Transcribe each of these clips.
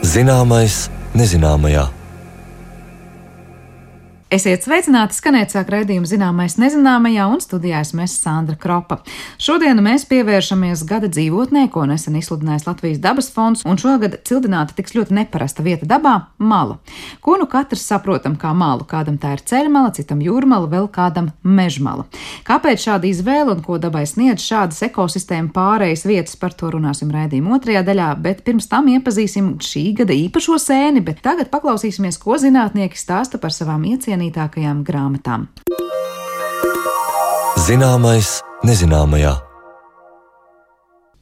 Zināmais nezināmajā. Esiet sveicināti, skanēt sāk raidījumu Zināmais nezināmajā, un studijā esmu Sandra Kropa. Šodien mēs pievēršamies gada dzīvotnē, ko nesen izsludinājis Latvijas dabas fonds, un šogad cildināta tiks ļoti neparasta vieta dabā – mala. Ko nu katrs saprotam kā malu? Kādam tā ir ceļmala, citam jūrmala, vēl kādam mežmala. Kāpēc šāda izvēle un ko dabai sniedz šādas ekosistēma pārējas vietas, par to runāsim raidījuma otrajā daļā, bet pirms tam iepazīsim šī gada īpašo sēni, bet tagad paklausīsimies, ko zinātnieki stāsta par savām iecienītākajām grāmatām. Zināmais nezināmajā.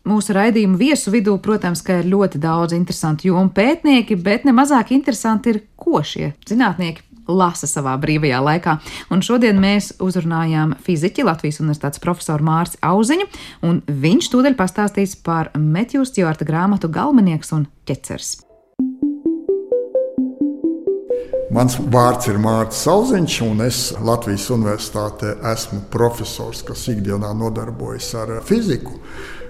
Mūsu raidījumu viesu vidū, protams, ka ir ļoti daudz interesantu jomu pētnieki, bet nemazāk interesanti ir, ko šie zinātnieki lasa savā brīvajā laikā. Un šodien mēs uzrunājām fiziķi, Latvijas Universitātes profesoru Mārci Auziņu, un viņš tūdaļ pastāstīs par Metju Stjuarta grāmatu Galmenieks un ķeceris. Mans vārds ir Mārcis Auziņš, un es Latvijas Universitātē esmu profesors, kas ikdienā nodarbojas ar fiziku.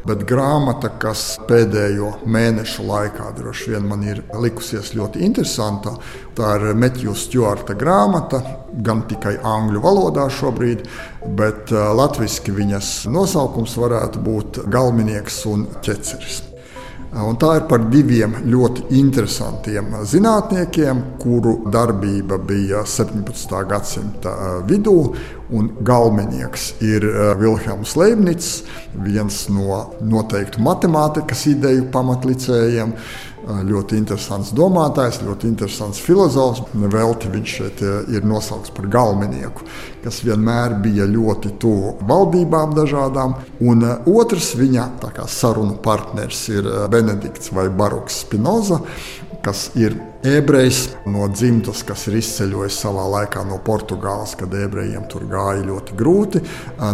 Bet grāmata, kas pēdējo mēnešu laikā droši vien man ir likusies ļoti interesanta, tā ir Metju Stjuarta grāmata, gan tikai angļu valodā šobrīd, bet latviski viņas nosaukums varētu būt Galmenieks un ķeceris. Un tā ir par diviem ļoti interesantiem zinātniekiem, kuru darbība bija 17. gadsimta vidū. Un Galmenieks ir Vilhelms Leibnics, viens no noteiktu matemātikas ideju pamatlicējiem. Ļoti interesants domātājs, ļoti interesants filozofs. Nevelti viņš šeit ir nosaukts par galmenieku, kas vienmēr bija ļoti tuvu valdībām dažādām. Un otrs viņa sarunu partners ir Benedikts vai Baruks Spinoza, kas ir ebrejs no dzimtas, kas ir izceļojis savā laikā no Portugāles, kad ebrejiem tur gāja ļoti grūti.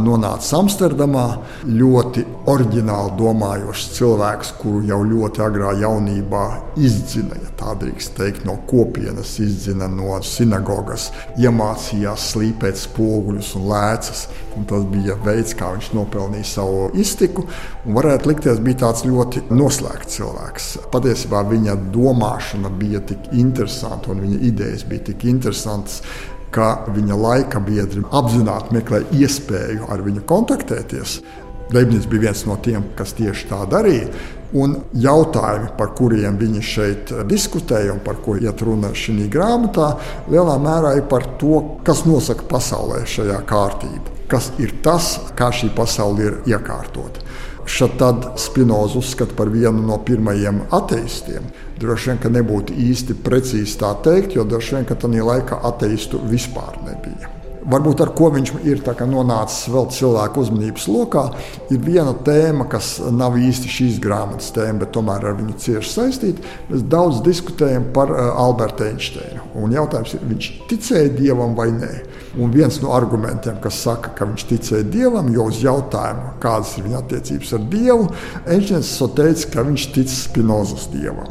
Nonāca Amsterdamā, ļoti oriģināli domājošs cilvēks, kuru jau ļoti agrā jaunībā izdzina, ja tā drīkst teikt, no kopienas, izdzina no sinagogas, iemācījās slīpēt spoguļus un lēcas. Un tas bija veids, kā viņš nopelnīja savu iztiku, un varētu likties, bija tāds ļoti noslēgts cilvēks. Patiesībā viņa domāšana bija tik interesanta un viņa idejas bija tik interesantas, ka viņa laika biedri apzināti meklēja iespēju ar viņu kontaktēties. Leibnics bija viens no tiem, kas tieši tā darīja. Un jautājumi, par kuriem viņi šeit diskutēja un par ko iet runa šī grāmatā, lielā mērā ir par to, kas nosaka pasaulē šajā kārtību. Kas ir tas, kā šī pasaule ir iekārtota. Šad Spinoza uzskata par vienu no pirmajiem ateistiem. Droši vien, ka nebūtu īsti precīzi tā teikt, jo droši vien, ka tajā laikā ateistu vispār nebija. Varbūt ar ko viņš ir nonācis vēl cilvēku uzmanības lokā, ir viena tēma, kas nav īsti šīs grāmatas tēma, bet tomēr ar viņu cieši saistīta. Mēs daudz diskutējam par Albertu Einsteinu. Un jautājums ir, viņš ticēja Dievam vai nē? Un viens no argumentiem, kas saka, ka viņš ticēja Dievam, jo uz jautājumu, kādas ir viņa attiecības ar Dievu, Einsteins teica, ka viņš tic Spinozas Dievam.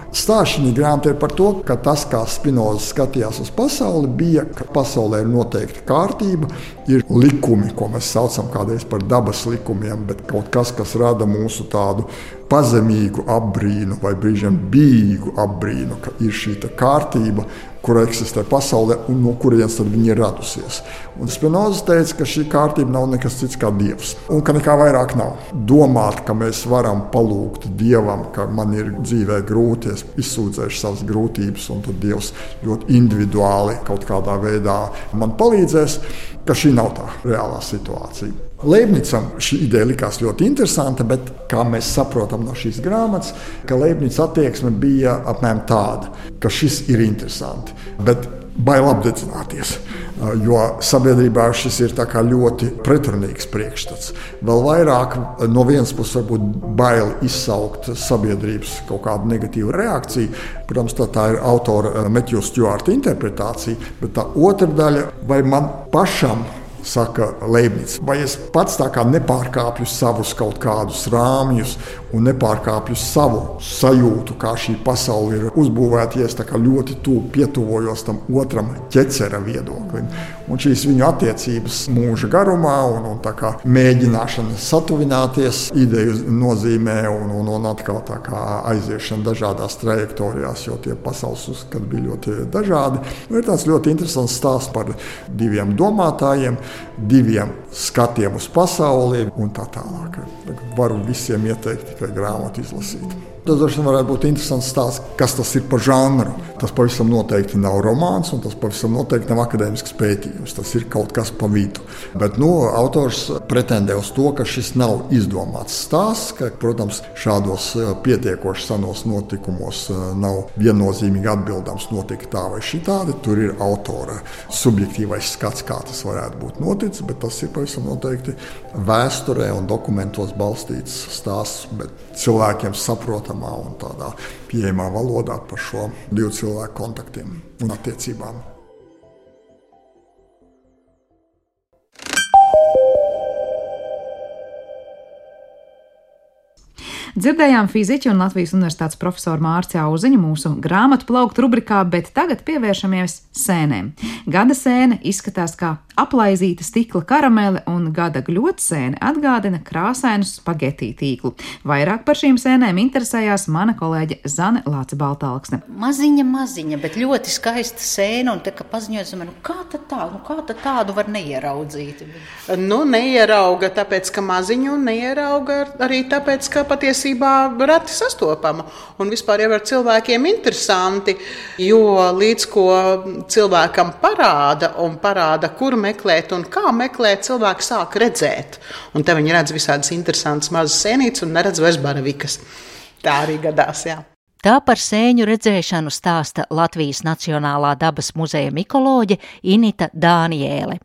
Stāšanī grāmatā ir par to, ka tas, kā Spinoza skatījās uz pasauli, bija, ka pasaulē ir noteikta kārtība, ir likumi, ko mēs saucam kādreiz par dabas likumiem, bet kaut kas, kas rada mūsu tādu pazemīgu apbrīnu vai brīžiem bīgu apbrīnu, ka ir šī kārtība, kur eksistē pasaulē un no kurienes tad viņa ir radusies. Un Spinoza teica, ka šī kārtība nav nekas cits kā Dievs un ka nekā vairāk nav. Domāt, ka mēs varam palūgt Dievam, ka man ir dzīvē grūti, es izsūdzēšu savas grūtības un tad Dievs ļoti individuāli kaut kādā veidā man palīdzēs, ka šī nav tā reālā situācija. Leibnicam šī ideja likās ļoti interesanta, bet kā mēs saprotam no šīs grāmatas, ka Leibnica attieksme bija apmēram tāda, ka šis ir interesanti, bet bail apdedzināties, jo sabiedrībā šis ir ļoti pretrunīgs priekšstats. Vēl vairāk no vienas puses varbūt bail izsaukt sabiedrības kaut kādu negatīvu reakciju. Protams, tā ir autora Metju Stjuarta interpretācija, bet tā otra daļa, vai man pašam, saka Leibnics, vai es pats nepārkāpju savus kaut kādus rāmjus un nepārkāpju savu sajūtu, kā šī pasaule ir uzbūvēta, ja es tā kā ļoti pietuvojos tam otram ķecera viedoklim. Un šīs viņu attiecības mūža garumā un tā kā mēģināšana satuvināties ideju nozīmē un atkal tā kā aiziešana dažādās trajektorijās, jo tie pasaules uzskati bija ļoti dažādi. Ir tāds ļoti interesants stāsts par diviem domātājiem, diviem skatiem uz pasauli un tā tālāk. Varu visiem ieteikt tikai grāmatu izlasīt. Tas droši vien varētu būt interesants stāsts, kas tas ir par žanru. Tas pavisam noteikti nav romāns, un tas pavisam noteikti nav akadēmisks pētījums. Tas ir kaut kas pa vidu. Bet autors pretendē uz to, ka šis nav izdomāts stāsts, ka, protams, šādos pietiekoši senos notikumos nav viennozīmīgi atbildams notika tā vai šitādi. Tur ir autora subjektīvais skats, kā tas varētu būt noticis, bet tas ir pavisam noteikti vēsturē un dokumentos balstīts stāsts, bet cilvēkiem saprotamā un tādā pieejamā valodā par šo divu cilvēku kontaktiem un attiecībām. Dzirdējām fiziķi un Latvijas Universitātes profesoru Mārci Auziņu mūsu grāmatu plauktu rubrikā, bet tagad pievēršamies sēnēm. Gada sēne izskatās kā aplaizīta stikla karamele un gada gļotsēne atgādina krāsainu spagetī tīklu. Vairāk par šīm sēnēm interesējās mana kolēģe Zane Lāce-Baltālksne. Maziņa, bet ļoti skaista sēna, un te, ka paziņojas, kā tad tādu var neieraudzīt? Neierauga, tāpēc, ka maziņu, un neierauga arī tāpēc, ka patiesībā reti sastopama. Un vispār jau ar cilvēkiem interesanti, jo līdz ko cilvēkam parāda, kur meklēt un kā meklēt, cilvēki sāk redzēt. Un te viņi redz visādas interesantas mazas sēnītes un neredz vairs baravikas. Tā arī gadās, jā. Tā par sēņu redzēšanu stāsta Latvijas Nacionālā dabas muzeja mikoloģe Inita Dāniēle.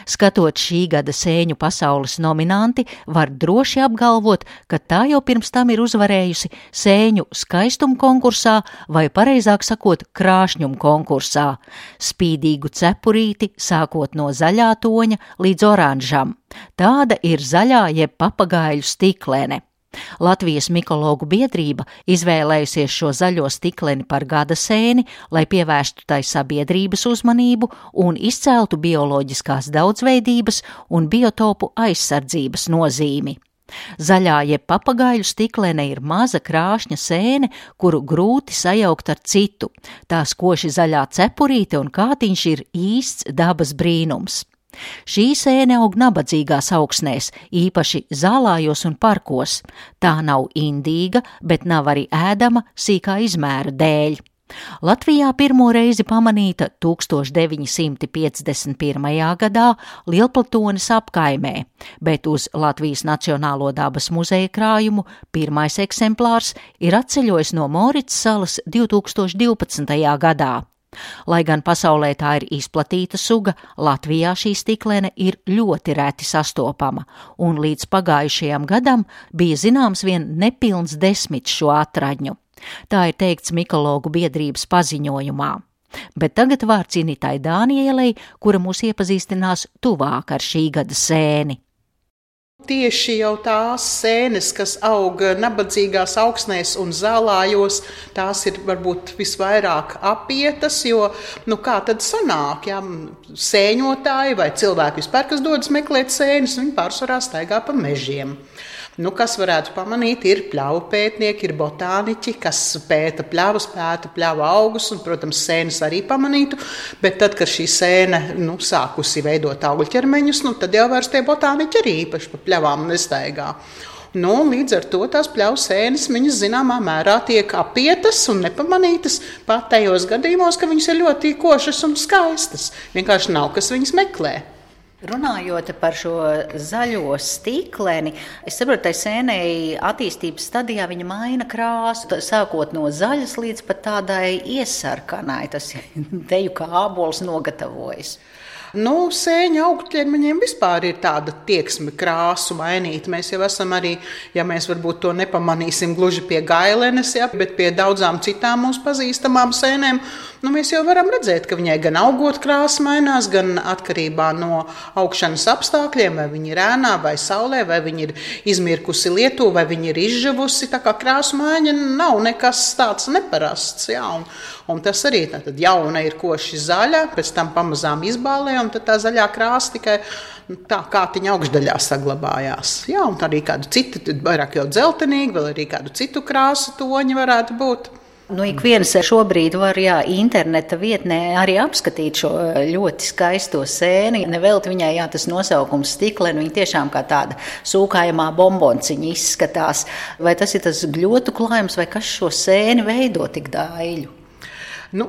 Skatot šī gada sēņu pasaules nominanti, var droši apgalvot, ka tā jau pirms tam ir uzvarējusi sēņu skaistuma konkursā vai, pareizāk sakot, krāšņuma konkursā. Spīdīgu cepurīti sākot no zaļā toņa līdz oranžam. Tāda ir zaļā jeb papagaiļu stiklene. Latvijas mikologu biedrība izvēlējusies šo zaļo stikleni par gada sēni, lai pievērstu tai sabiedrības uzmanību un izceltu bioloģiskās daudzveidības un biotopu aizsardzības nozīmi. Zaļā jeb papagaiļu stiklene ir maza krāšņa sēne, kuru grūti sajaukt ar citu. Tā skoši zaļā cepurīte un kātiņš ir īsts dabas brīnums. Šī sēne aug nabadzīgās augsnēs, īpaši zālājos un parkos. Tā nav indīga, bet nav arī ēdama sīkā izmēra dēļ. Latvijā pirmo reizi pamanīta 1951. gadā Lielplatones apkaimē, bet uz Latvijas Nacionālo dabas muzeja krājumu pirmais eksemplārs ir atceļojis no Moricas salas 2012. gadā. Lai gan pasaulē tā ir izplatīta suga, Latvijā šī stiklene ir ļoti reti sastopama, un līdz pagājušajam gadam bija zināms vien nepilns 10 šo atradņu. Tā ir teikts mikologu biedrības paziņojumā. Bet tagad vārds Initai Dāniēlei, kura mūs iepazīstinās tuvāk ar šī gada sēni. Tieši jau tās sēnes, kas aug nabadzīgās augsnēs un zālājos, tās ir varbūt visvairāk apietas, jo, kā tad sanāk, ja sēņotāji vai cilvēki vispār, kas dodas meklēt sēnes, viņi pārsvarā staigā pa mežiem. Kas varētu pamanīt, ir pļavu pētnieki, ir botāniķi, kas pēta pļavas, pēta pļavu augus un, protams, sēnes arī pamanītu, bet tad, kad šī sēne sākusi veidot augļķermeņus, tad jau vairs tie botāniķi arī īpaši pa pļavām nestaigā. Līdz ar to tās pļavu sēnes viņas zināmā mērā tiek apietas un nepamanītas pat tajos gadījumos, ka viņas ir ļoti košas un skaistas. Vienkārši nav, kas viņas meklē. Runājot par šo zaļo stikleni, es saprotu, tai sēnei attīstības stadijā viņa maina krāsu, sākot no zaļas līdz pat tādai iesarkanai, tas teju kā ābols nogatavojas. Sēņu augļķermeņiem vispār ir tāda tieksme krāsu mainīt. Mēs jau esam arī, ja mēs varbūt to nepamanīsim gluži pie gailenes, bet pie daudzām citām mums pazīstamām sēnēm, mēs jau varam redzēt, ka viņai gan augot krāsa mainās, gan atkarībā no augšanas apstākļiem, vai viņa ir ēnā vai saulē, vai viņa ir izmirkusi lietu, vai viņa ir izžuvusi. Tā kā krāsu maiņa nav nekas tāds neparasts. Jā, un tas arī tad jauna ir koši zaļa, pēc tam pamazām izbālē, un tad tā zaļā krāsa tikai tā kātiņa augšdaļā saglabājās. Jā, un arī kādu citu, vairāk jau dzeltenīgi, vēl arī kādu citu krāsu toņi varētu būt. Ik viens šobrīd var interneta vietnē arī apskatīt šo ļoti skaisto sēni. Nevelti viņai tas nosaukums stikleni, viņa tiešām kā tāda sūkājamā bombonciņa izskatās. Vai tas ir tas gļotu klājums, vai kas šo sēni veido tik daiļu?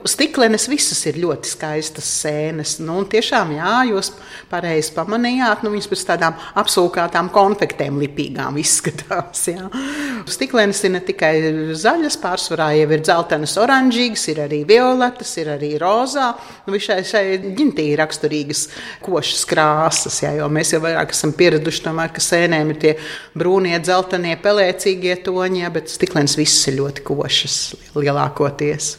Stiklenes visas ir ļoti skaistas sēnes. Tiešām, jā, jūs pareizi pamanījāt, viņas pēc tādām apsūkātām konfektēm lipīgām izskatās. Jā. Stiklenes ir ne tikai zaļas, pārsvarā jau ir dzeltenas, oranžīgas, ir arī violetas, ir arī rozā. Šai ģintī ir raksturīgas košas krāsas, jā, jo mēs jau vairāk esam pieraduši tomēr, ka sēnēm ir tie brūnie, dzeltenie, pelēcīgie toņi, jā, bet stiklenes visas ir ļoti košas lielākoties.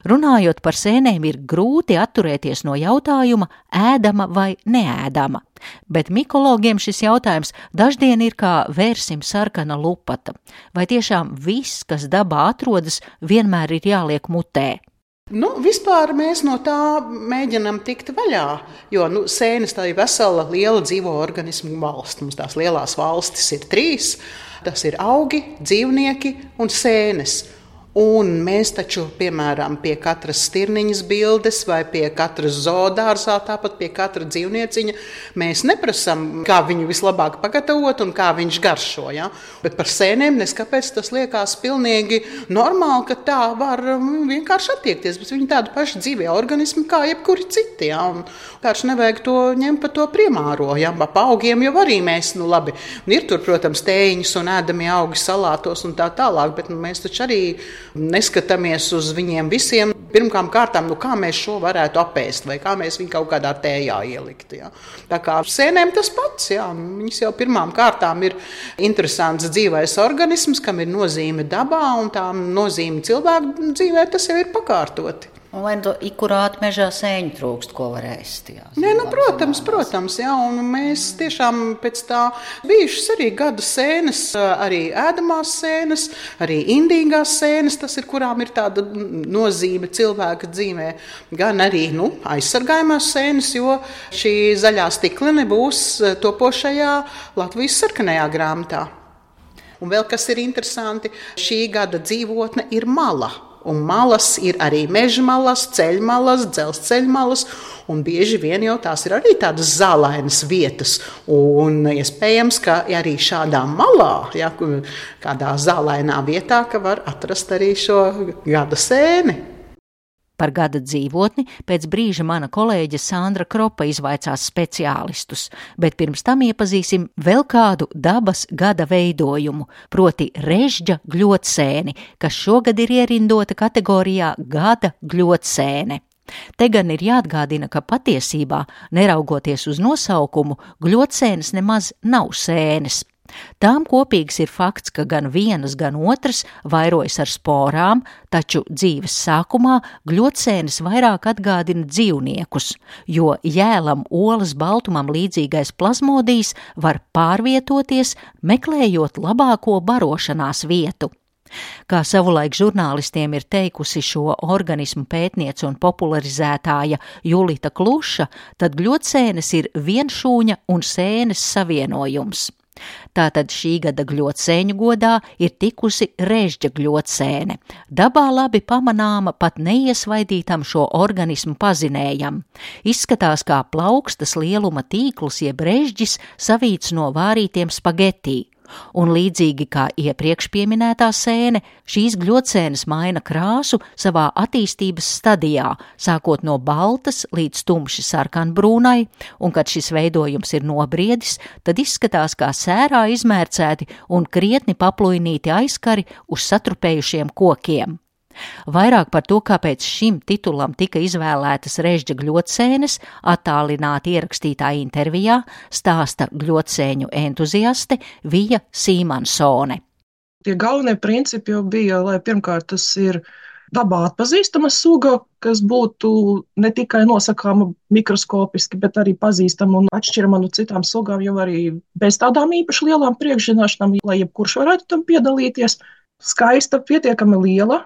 Runājot par sēnēm, ir grūti atturēties no jautājuma ēdama vai neēdama, bet mikologiem šis jautājums daždien ir kā vērsim sarkana lupata. Vai tiešām viss, kas dabā atrodas, vienmēr ir jāliek mutē? Vispār mēs no tā mēģinam tikt vaļā, jo sēnes tā ir vesela liela dzīvo organismu valsts. Mums tās lielās valstis ir 3, tas ir augi, dzīvnieki un sēnes. Un mēs taču, piemēram, pie katras stirniņas bildes vai pie katras zoodārzā, tāpat pie katra dzīvnieciņa, mēs neprasam, kā viņu vislabāk pagatavot un kā viņš garšo. Ja? Bet par sēnēm neskapēc tas liekas pilnīgi normāli, ka tā var vienkārši attiekties, bet viņi tādu pašu dzīvē organismu kā jebkuri citi. Ja? Un vienkārši nevajag to ņemt pa to primāro. Ja? Pa augiem jau arī mēs, labi, ir tur, protams, tējiņas un ēdamie augi salātos un tā tālāk, bet mēs taču arī neskatāmies uz viņiem visiem. Pirmām kārtām, kā mēs šo varētu apēst, vai kā mēs viņu kaut kādā tējā ielikt. Ja. Tā kā sēnēm tas pats, ja. Viņas jau pirmām kārtām ir interesants dzīvais organisms, kam ir nozīme dabā, un tā nozīme cilvēku dzīvē, tas jau ir pakārtoti. Un vai ikurāt mežā sēņu trūkst, ko var ēst? Jā, protams, jā, un mēs tiešām pēc tā bijušas arī gada sēnes, arī ēdamās sēnes, arī indīgās sēnes, tas ir, kurām ir tāda nozīme cilvēka dzīvē, gan arī aizsargājumās sēnes, jo šī zaļā stiklene būs topošajā Latvijas sarkanajā grāmatā. Un vēl kas ir interesanti, šī gada dzīvotne ir mala. Un malas ir arī meža malas, ceļmalas, dzelzceļmalas, un bieži vien jau tās ir arī tādas zālainas vietas. Un iespējams, ka arī šādā malā, ja, kādā zālainā vietā, ka var atrast arī šo gada sēni. Par gada dzīvotni pēc brīža mana kolēģe Sandra Kropa izvaicās speciālistus, bet pirms tam iepazīsim vēl kādu dabas gada veidojumu, proti režģa gļotsēni, kas šogad ir ierindota kategorijā gada gļotsēne. Te gan ir jāatgādina, ka patiesībā, neraugoties uz nosaukumu, gļotsēnes nemaz nav sēnes. Tām kopīgs ir fakts, ka gan vienas, gan otras vairojas ar sporām, taču dzīves sākumā gļotsēnes vairāk atgādina dzīvniekus, jo jēlam olas baltumam līdzīgais plazmodijs var pārvietoties, meklējot labāko barošanās vietu. Kā savulaik žurnālistiem ir teikusi šo organismu pētniece un popularizētāja Julita Kluša, tad gļotsēnes ir vienšūņa un sēnes savienojums. Tātad šī gada gļotsēņu godā ir tikusi režģa gļotsēne. Dabā labi pamanāma, pat neiesvaidītam šo organismu pazinējam. Izskatās kā plaukstas lieluma tīkls jeb režģis savīts no vārītiem spagetī. Un līdzīgi kā iepriekš pieminētā sēne, šīs gļotsēnes maina krāsu savā attīstības stadijā, sākot no baltas līdz tumši sarkanbrūnai, un kad šis veidojums ir nobriedis, tad izskatās kā sērā izmērcēti un krietni paplujnīti aizkari uz satrupējušiem kokiem. Vairāk par to, kāpēc šim titulam tika izvēlētas režģa gļotsēnes, attālināti ierakstītā intervijā stāsta gļotsēņu entuziaste Vija Sīmansone. Tie galvenie principi jau bija, lai pirmkārt tas ir dabā atpazīstama suga, kas būtu ne tikai nosakāma mikroskopiski, bet arī pazīstama un atšķirama no citām sugām, jau arī bez tādām īpaši lielām priekšzināšanām, lai jebkurš varētu tam piedalīties. Skaista, pietiekami liela,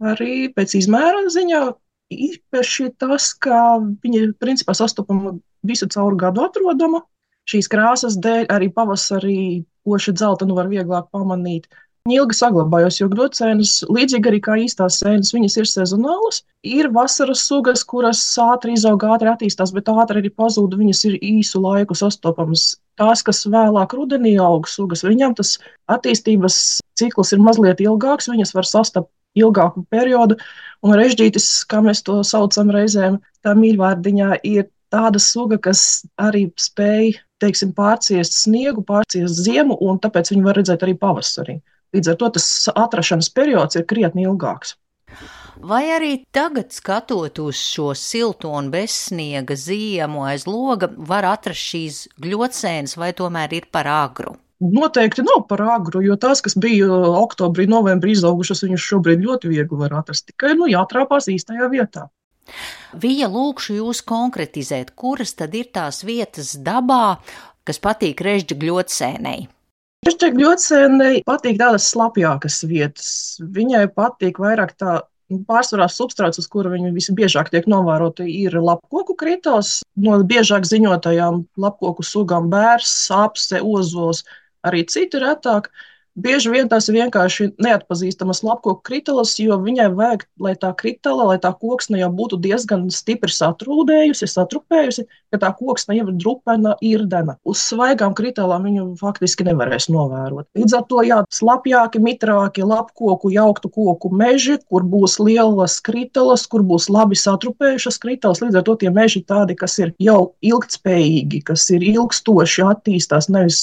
arī pēc izmēra ziņā. Īpaši tas, ka viņa principā sastopama visu cauru gadu atrodama. Šīs krāsas dēļ arī pavasarī koši dzeltenu var vieglāk pamanīt. Viņa ilgi saglabājās, jo gļodsēnes, līdzīgi arī kā īstās sēnes, viņas ir sezonālas. Ir vasaras sugas, kuras ātri izaug, ātri attīstās, bet ātri arī pazūd, viņas ir īsu laiku sastopamas. Tās, kas vēlāk rudenī aug sugas, viņām tas attīstības cikls ir mazliet ilgāks, viņas var sastapt ilgāku periodu, un režģītis, kā mēs to saucam reizēm, tā mīļvārdiņā ir tāda suga, kas arī spēj, teiksim, pārciest sniegu, pārciest ziemu, un tāpēc viņu var redzēt arī pavasarī. Līdz ar to tas atrašanas periods ir krietni ilgāks. Vai arī tagad, skatot uz šo silto un bezsniega ziemu aiz loga, var atrast šīs gļodsēnes, vai tomēr ir par agru? Noteikti nav par agru, jo tās, kas bija oktobrī, novembrī izaugušas, viņas šobrīd ļoti viegli var atrast. Tikai jātrāpās īstajā vietā. Vija, lūkšu jūs konkretizēt, kuras tad ir tās vietas dabā, kas patīk režģa gļodsēnei? Režģa gļodsēnei patīk tādas slapjākas vietas. Viņai patīk vairāk tā pārsvarā substrāts, uz kura viņa visbiežāk tiek novērota, ir lapkoku kritols. No biežāk ziņotajām lapkoku sugām bērs, apse, ozols, arī citi retāk. Bieži vien tās ir vienkārši neatpazīstamas lapkoku kritalas, jo viņai vajag, lai tā kritala, lai tā koksne jau būtu diezgan stipri satrūdējusi, satrupējusi, ka tā koksne jau ir drupena, irdena. Uz svaigām kritalām viņu faktiski nevarēs novērot. Līdz ar to slapjāki, mitrāki lapkoku, jauktu koku meži, kur būs lielas kritalas, kur būs labi satrupējušas kritalas. Līdz ar to tie meži tādi, kas ir jau ilgtspējīgi, kas ir ilgstoši attīstās, nevis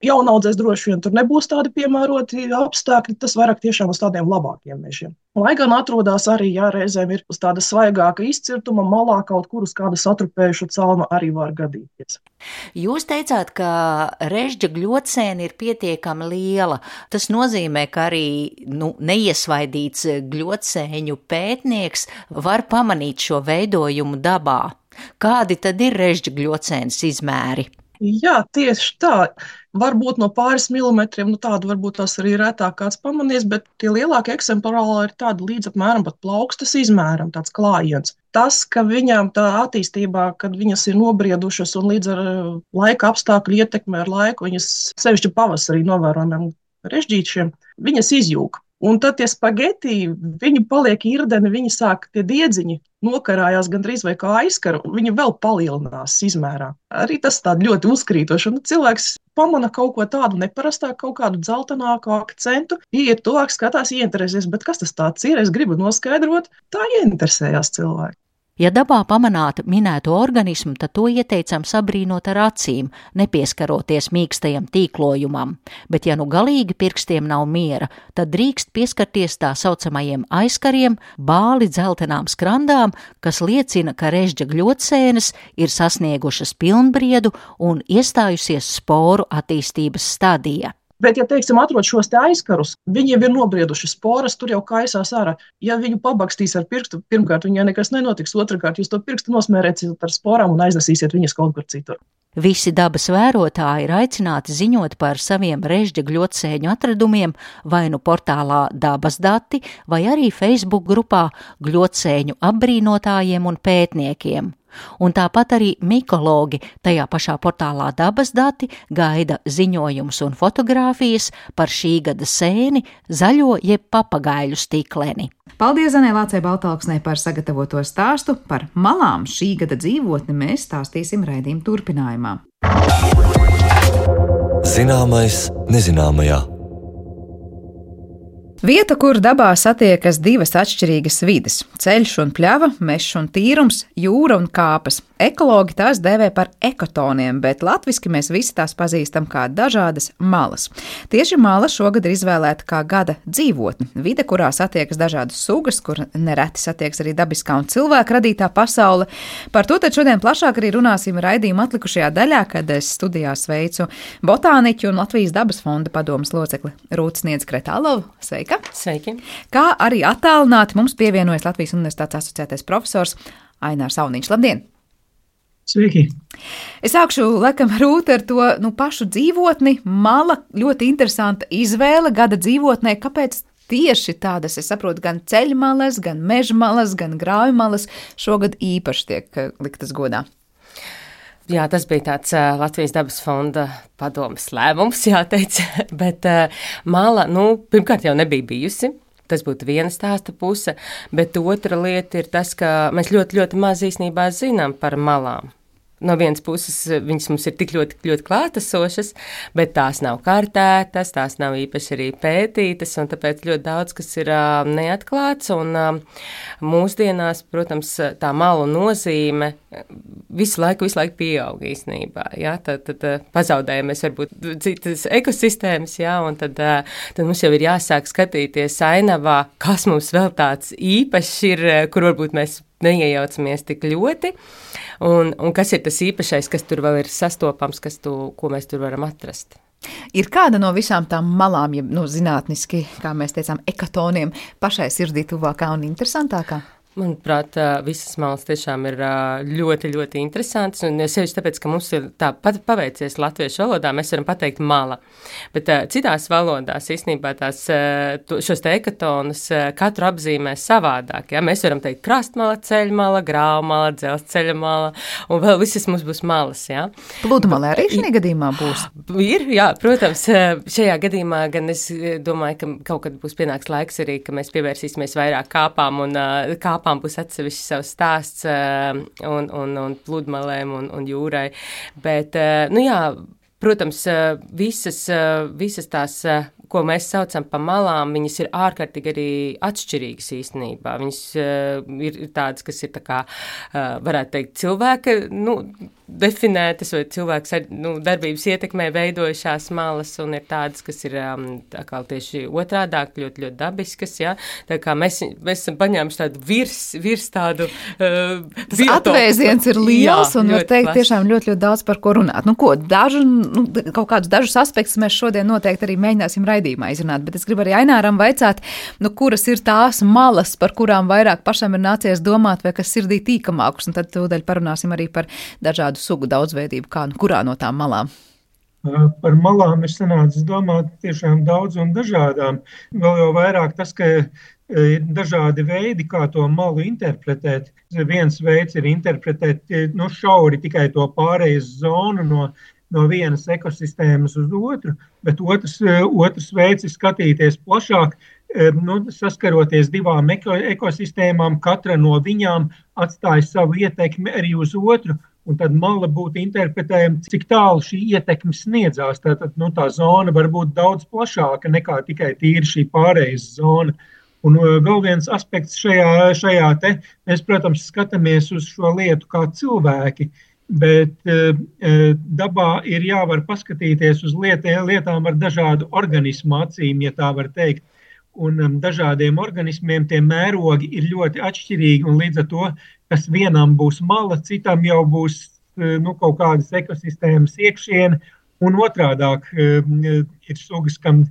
jaunaudzēs droši vien tur nebūs tādi piemēroti apstākļi, tas vairāk tiešām uz tādiem labākiem mežiem. Lai gan atrodas arī, reizēm ir uz tāda svaigāka izcirtuma, malā kaut kur uz kāda satrupējuša celma arī var gadīties. Jūs teicāt, ka režģa gļodsēne ir pietiekami liela. Tas nozīmē, ka arī neiesvaidīts gļodsēņu pētnieks var pamanīt šo veidojumu dabā. Kādi tad ir režģa gļodsēnes izmēri? Jā, tieši tā. Varbūt no pāris milimetriem, tādu varbūt tās arī retāk kāds pamanīs, bet tie lielākie eksemplāri ir tādi līdz apmēram pat plaukstas izmēram, tāds klājiens. Tas, ka viņām tā attīstībā, kad viņas ir nobriedušas un līdz ar laika apstākļu ietekmē ar laiku, viņas sevišķi pavasarī novērojamiem režģīšiem, viņas izjūg. Un tad tie spageti, viņi paliek irdeni, viņi sāk, tie diedziņi nokarājās gandrīz vai kā aizkara, un viņi vēl palielinās izmērā. Arī tas tādi ļoti uzkrītoši, un cilvēks pamana kaut ko tādu neparastāku, kaut kādu dzeltenāku akcentu, iet tuvāk, skatās, ieinteresēs, bet kas tas tāds ir, es gribu noskaidrot, tā ieinteresējās cilvēki. Ja dabā pamanāt minēto organismu, tad to ieteicam sabrīnot ar acīm, nepieskaroties mīkstajam tīklojumam, bet ja galīgi pirkstiem nav miera, tad drīkst pieskarties tā saucamajiem aizkariem, bāli dzeltenām skrandām, kas liecina, ka režģa gļodsēnes ir sasniegušas pilnbriedu un iestājusies sporu attīstības stadijā. Bet, ja, teiksim, atrod šos te aizkarus, viņi jau ir nobrieduši sporas, tur jau kaisās ārā. Ja viņu pabakstīs ar pirkstu, pirmkārt, viņai nekas nenotiks, otrkārt, jūs to pirkstu nosmērēsiet ar sporām un aiznesīsiet viņas kaut kur citur. Visi dabas vērotāji ir aicināti ziņot par saviem režģa gļodsēņu atradumiem vai portālā Dabas dati vai arī Facebook grupā Gļodsēņu apbrīnotājiem un pētniekiem. Un tāpat arī mikologi tajā pašā portālā Dabas dati gaida ziņojumus un fotogrāfijas par šī gada sēni, zaļo jeb papagaiļu stikleni. Paldies Zanē Lācei Baltalksnei par sagatavoto stāstu. Par malām šī gada dzīvotni mēs stāstīsim raidījuma turpinājumā. Zināmais nezināmajā. Vieta, kur dabā satiekas divas atšķirīgas vides – ceļš un pļava, mežs un tīrums, jūra un kāpas. Ekologi tās dēvē par ekotoniem, bet latviski mēs visi tās pazīstam kā dažādas malas. Tieši mala šogad ir izvēlēta kā gada dzīvotne. Vide, kurā satiekas dažādas sugas, kur nereti satiekas arī dabiskā un cilvēka radītā pasaule. Par to tad šodien plašāk arī runāsim raidījuma atlikušajā daļā, kad es studijā sveicu botāniķu un Latvijas dabas fonda padomes locekli Rūtu Sniedzi Kretālovu. Sveika! sveika! Sveiki! Kā arī attālināti mums pievienojas Latvijas Universitātes asociētais profesors Ainārs Auniņš. Labdien! Sveiki! Es sākšu, laikam, Rūta ar to pašu dzīvotni. Mala ļoti interesanta izvēle gada dzīvotnē. Kāpēc tieši tādas, es saprotu, gan ceļmalas, gan mežmalas, gan grāvmalas šogad īpaši tiek liktas godā? Jā, tas bija tāds Latvijas dabas fonda padomes lēmums, jāteic, bet mala, pirmkārt jau nebija bijusi. Tas būtu viena stāsta puse, bet otra lieta ir tas, ka mēs ļoti, ļoti maz īstenībā zinām par malām. No vienas puses viņas mums ir tik ļoti, ļoti klātesošas, bet tās nav kārtētas, tās nav īpaši arī pētītas, un tāpēc ļoti daudz, kas ir neatklāts, un mūsdienās, protams, tā malu nozīme visu laiku pieaug īstenībā, jā, tad pazaudējamies varbūt citas ekosistēmas, jā, un tad mums jau ir jāsāk skatīties ainavā, kas mums vēl tāds īpašs ir, kur varbūt mēs neiejaucamies tik ļoti, un kas ir tas īpašais, kas tur vēl ir sastopams, ko mēs tur varam atrast. Ir kāda no visām tām malām, ja zinātniski, kā mēs teicām, ekatoniem, pašai sirdī tuvākā un interesantākā? Manuprāt, visas malas tiešām ir ļoti, ļoti interesantas, un sevišķi tāpēc, ka mums ir tā paveicies latviešu valodā, mēs varam pateikt mala, bet citās valodās īstenībā šos te ekatonus katru apzīmē savādāk, ja? Mēs varam teikt krastmala, ceļmala, grāvmala, dzelzceļa mala, un vēl visas mums būs malas, ja? Pludmale arī šajā gadījumā būs? Ir, jā, protams, šajā gadījumā gan es domāju, ka kaut kad būs pienāks laiks arī, ka mēs pievērsīsimies vairāk kāpām un kāpām būs atsevišķi savs stāsts un pludmalēm un jūrai, bet, protams, visas tās, ko mēs saucam pa malām, viņas ir ārkārtīgi arī atšķirīgas īstenībā. Viņas ir tādas, kas ir tā kā, varētu teikt, cilvēka, definētas vai cilvēks darbības ietekmē veidojušās malas, un ir tādas, kas ir tā kā tieši otrādāk, ļoti, ļoti dabiskas, ja? Tā kā mēs esam paņēmuši tādu virs tādu tas atvēziens ir liels, un var teikt tiešām ļoti, ļoti daudz par ko runāt. Kaut kādus dažus aspektus mēs šodien noteikti arī mēģināsim raidījumā izrunāt, bet es gribu arī Aināram vaicāt, kuras ir tās malas, par kurām vairāk pašam ir nācies domāt, vai kas sirdī tīkamākus, un tad tūdaļ parunāsim arī par dažādu sugu daudzveidību, kurā no tām malām. Par malām ir sanācis domāt tiešām daudz un dažādām. Vēl jau vairāk tas, ka ir dažādi veidi, kā to malu interpretēt. Viens veids ir interpretēt šauri tikai to pārejas zonu no vienas ekosistēmas uz otru, bet otrs veids ir skatīties plašāk, saskaroties divām ekosistēmām, katra no viņām atstāja savu ietekmi arī uz otru, un tad mala būtu interpretējama, cik tālu šī ietekme sniedzās. Tātad tā zona var būt daudz plašāka nekā tikai tīri šī pārejas zona. Un vēl viens aspekts šajā te, mēs, protams, skatāmies uz šo lietu kā cilvēki, bet dabā ir jāvar paskatīties uz lietām ar dažādu organismu acīm, ja tā var teikt. Un dažādiem organismiem tie mērogi ir ļoti atšķirīgi, un līdz ar to, kas vienam būs mala, citam jau būs kaut kādas ekosistēmas iekšiene, un otrādāk ir sugas, kam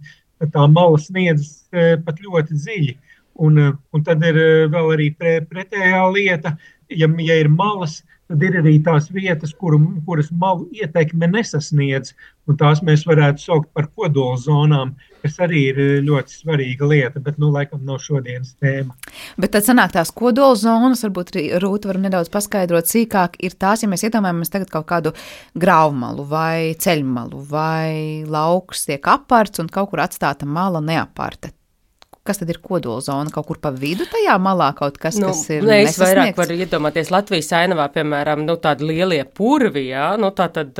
tā mala sniedzas pat ļoti dziļi. Un tad ir vēl arī pretējā lieta, ja ir malas, tad ir arī tās vietas, kuras malu ietekme nesasniedz, un tās mēs varētu saukt par kodolzonām, kas arī ir ļoti svarīga lieta, bet laikam nav šodienas tēma. Bet tad sanāk tās kodolzonas, varbūt Rūta varam nedaudz paskaidrot sīkāk, ir tās, ja mēs iedomājamies tagad kaut kādu grāvmalu vai ceļmalu vai lauks tiek aparts un kaut kur atstāta mala neaparta. Kas tad ir kodolzona? Kaut kur pa vidu tajā malā kaut kas, kas ir nesasniegts? Es vairāk varu iedomāties Latvijas ainavā, piemēram, tādi lielie purvi, jā, tātad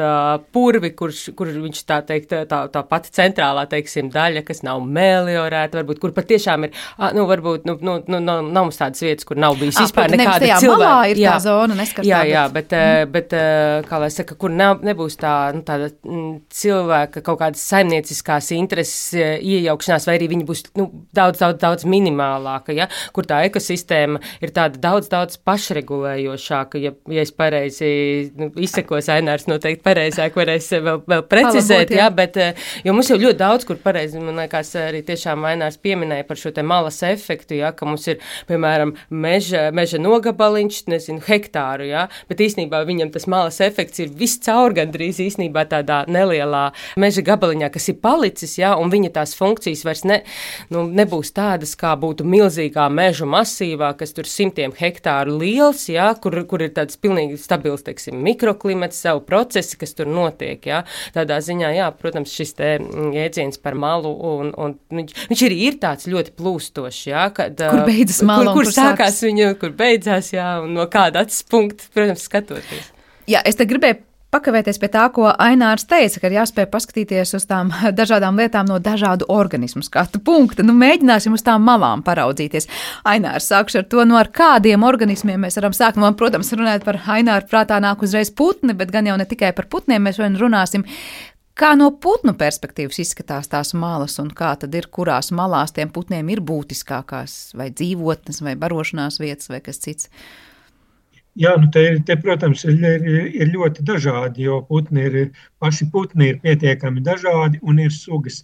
purvi, kur viņš tā teikt, tā pati centrālā, teiksim, daļa, kas nav meliorēta, varbūt, kur patiešām ir, varbūt, nav mums tādas vietas, kur nav bijis vispār nekāda cilvēka. Malā ir tā zona neskartā. Jā, bet kā lai saka, kur nebūs tāda cilvēka kaut kādas saimnieciskās intereses iejaukšanās, vai arī viņi būs, daudz daudz minimālāka, ja, kur tā ekosistēma ir tāda daudz pašregulējošāka, ja es pareizi izsekos, Ainārs noteikti pareizāk varēs vēl precizēt, jā, bet, jo mums jau ļoti daudz, kur pareizi, man liekas, arī tiešām Ainārs pieminēja par šo te malas efektu, jā, ka mums ir, piemēram, meža nogabaliņš, nezinu, hektāru, jā, bet īstenībā viņam tas malas efekts ir viss caur gandrīz īstenībā tādā nelielā meža gabaliņā, kas ir palicis, jā, un viņa tās funkcijas vairs nebūs tādas, kā būtu milzīgā meža masīvā, kas tur 100 hektāru liels, jā, kur ir tāds pilnīgi stabils, teiksim, mikroklimats, savu procesi, kas tur notiek, jā. Tādā ziņā, jā, protams, šis te jēdziens par malu, un viņš ir tāds ļoti plūstošs, jā, kad, kur beidzas mala, kur sākās viņa, kur beidzās, jā, un no kāda acis punkta, protams, skatoties. Jā, es te gribēju pakavēties pie tā, ko Ainārs teica, ka ir jāspēj paskatīties uz tām dažādām lietām no dažādu organismu skatu punkta. Nu, mēģināsim uz tām malām paraudzīties. Ainārs, sākšu ar to, ar kādiem organismiem mēs varam sākt. Man, protams, runāt par Aināru prātā nāk uzreiz putni, bet gan jau ne tikai par putniem, mēs vien runāsim, kā no putnu perspektīvas izskatās tās malas un kā tad ir, kurās malās tiem putniem ir būtiskākās vai dzīvotnes vai barošanās vietas vai kas cits. Jā, te, protams, ir ļoti dažādi, jo paši putni ir pietiekami dažādi un ir sugas,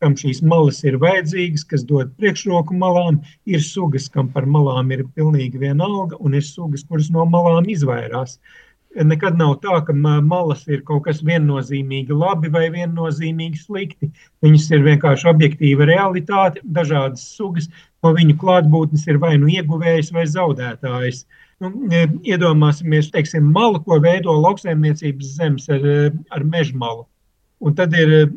kam šīs malas ir vajadzīgas, kas dod priekšroku malām, ir sugas, kam par malām ir pilnīgi vienalga, un ir sugas, kuras no malām izvairās. Nekad nav tā, ka malas ir kaut kas viennozīmīgi labi vai viennozīmīgi slikti. Viņas ir vienkārši objektīva realitāte, dažādas sugas, no viņu klātbūtnes ir vai nu ieguvējs vai zaudētājs. Iedomāsimies, teiksim, malu, ko veido lauksaimniecības zemes ar mežmalu. Un tad ir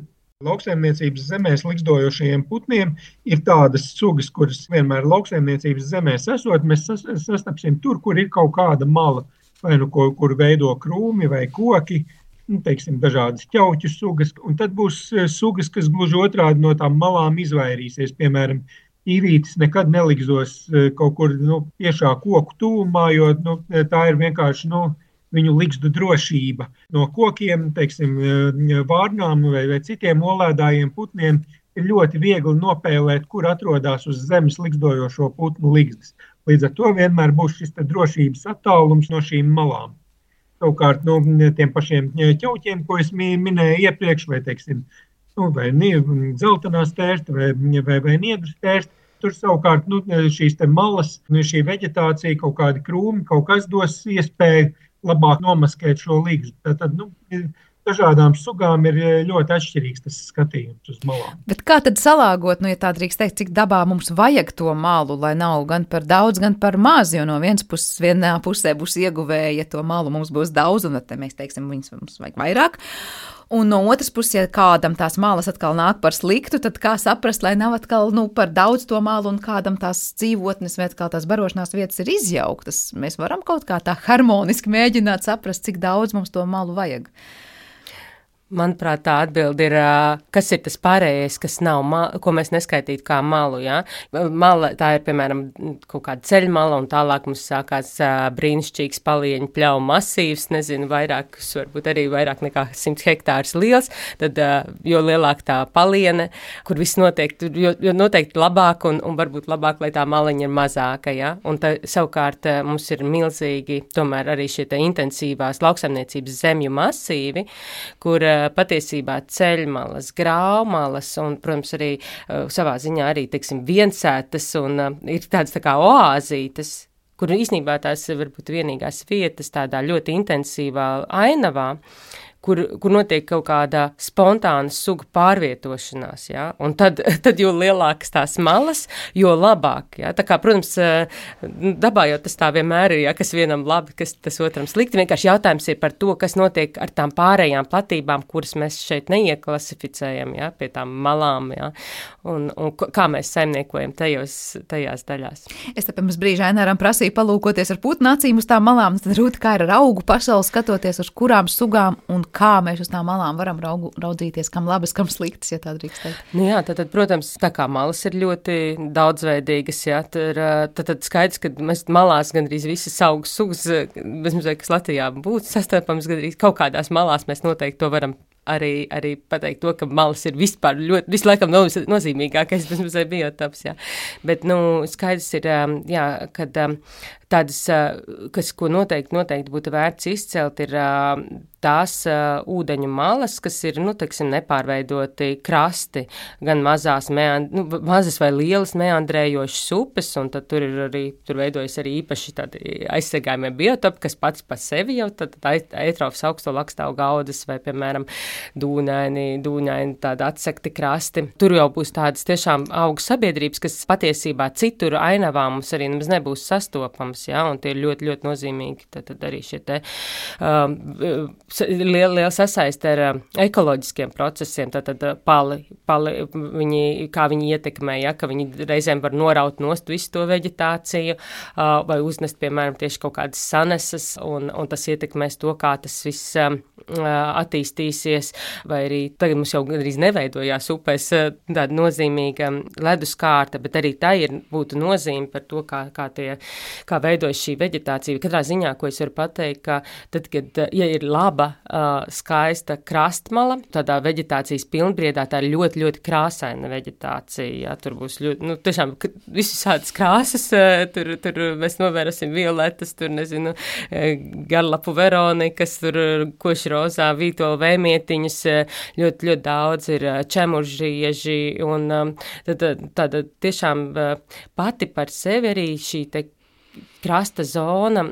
lauksaimniecības zemēs likstojošajiem putniem ir tādas sugas, kuras vienmēr lauksaimniecības zemēs esot, mēs sastapsim tur, kur ir kaut kāda mala, vai nu kur veido krūmi vai koki, teiksim, dažādas ķauķu sugas. Un tad būs sugas, kas gluži otrādi no tām malām izvairīsies, piemēram, īvītis nekad nelikzos kaut kur tiešā koku tuvumā, jo tā ir vienkārši viņu likstu drošība. No kokiem, teiksim, vārnām vai citiem olēdājiem putniem ir ļoti viegli nopēlēt, kur atrodas uz zemes likstojošo putnu likstas. Līdz ar to vienmēr būs šis drošības attālums no šīm malām. Savukārt, tiem pašiem ķauķiem, ko es minēju iepriekš, vai, teiksim, vai dzeltenā stērsta vai niedru stērsta. Tur savukārt šīs te malas, šī veģetācija, kaut kādi krūmi, kaut kas dos iespēju labāk nomaskēt šo ligzdu. Tad, dažādām sugām ir ļoti atšķirīgs tas skatījums uz malām. Bet kā tad salāgot, ja tā drīkst teikt, cik dabā mums vajag to malu, lai nav gan par daudz, gan par maz, jo no vienā pusē būs ieguvēja, ja to malu mums būs daudz, un tad mēs teiksim, viņas mums vajag vairāk. Un no otras puses, ja kādam tās malas atkal nāk par sliktu, tad kā saprast, lai nav atkal par daudz to malu un kādam tās dzīvotnes vai atkal tās barošanās vietas ir izjauktas. Mēs varam kaut kā tā harmoniski mēģināt saprast, cik daudz mums to malu vajag. Manuprāt, tā atbilde ir, kas ir tas pārējais, kas nav, ko mēs neskaitītu kā malu, jā. Mala, tā ir, piemēram, kaut kāda ceļmala, un tālāk mums sākās brīnišķīgs palieņu pļauju masīvs, nezinu, varbūt arī vairāk nekā 100 hektārus liels, tad, jo lielāk tā paliene, kur viss notiek, jo noteikti labāk, un varbūt labāk, lai tā maliņa ir mazāka, jā. Un savukārt mums ir milzīgi, tomēr arī šie te intensīvās lauksaimniecības zemju masīvi, kur patiesībā ceļmalas, graumalas un, protams, arī savā ziņā arī, teiksim, viensētas un ir tādas tā kā oāzītes, kur īstenībā tās varbūt vienīgās vietas tādā ļoti intensīvā ainavā, kur notiek kaut kāda spontāna suga pārvietošanās, jā, un tad jo lielākas tās malas, jo labāk, jā, tā kā, protams, dabā jau tas tā vienmēr ir, jā, kas vienam labi, kas tas otram slikti, vienkārši jautājums ir par to, kas notiek ar tām pārējām platībām, kuras mēs šeit neieklasificējam, jā, pie tām malām, jā, un kā mēs saimniekojam tajās daļās. Es te pirms brīža Aināram prasīju palūkoties ar putnu acīm uz tām malām, tad Rūta, kā ir ar augu pasauli skatoties, uz kurām sugām un kā mēs uz tām malām varam raudzīties, kam labas, kam sliktas, ja tā drīkst teikt. Jā, tad, protams, tā kā malas ir ļoti daudzveidīgas, jā, tad skaidrs, ka mēs malās gandrīz visas augu sugas, kas Latvijā būtu sastopams, gandrīz kaut kādās malās mēs noteikti to varam arī pateikt to, ka malas ir vispār ļoti, vislaikam nozīmīgākais bezmuzeja biotops, jā. Bet, skaidrs ir, jā, kad tādas, ko noteikti būtu vērts izcelt, ir tās ūdeņu malas, kas ir, teiksim, nepārveidoti krasti, gan mazas vai lielas meandrējošas upes, un tad tur veidojas arī īpaši tādi aizsargājumie biotopi, kas pats par sevi jau tad eitrofas augsto lakstāvu gaudas vai, piemēram, dūņaini tādi atsekti krasti. Tur jau būs tādas tiešām augu sabiedrības, kas patiesībā citur ainavā mums arī nemaz nebūs sastopams, jā, un tie ir ļoti, ļoti nozīmīgi. Tad arī šie te liela sasaiste ar ekoloģiskiem procesiem, tātad pali kā viņi ietekmē, ja, ka viņi reizēm var noraut nost visu to veģetāciju, vai uznest, piemēram, tieši kaut kādas sanesas, un tas ietekmēs to, kā tas viss attīstīsies, vai arī tagad mums jau gandrīz neveidojās upēs tāda nozīmīga leduskārta, bet arī tā būtu nozīme par to, kā veidojas šī veģetācija. Katrā ziņā, ko es varu pateikt, ka tad, kad, ja ir laba, skaista krastmala, tādā veģetācijas pilnbriedā, tā ir ļoti, ļoti krāsaina veģetācija, jā, tur būs ļoti, tiešām visas krāsas, tur mēs novērosim violetas, tur, nezinu, garlapu veronikas, tur košrozā, vītolu vēmietiņas, ļoti, ļoti daudz ir čemuržieži, un tāda tiešām pati par sevi arī šī te krasta zona,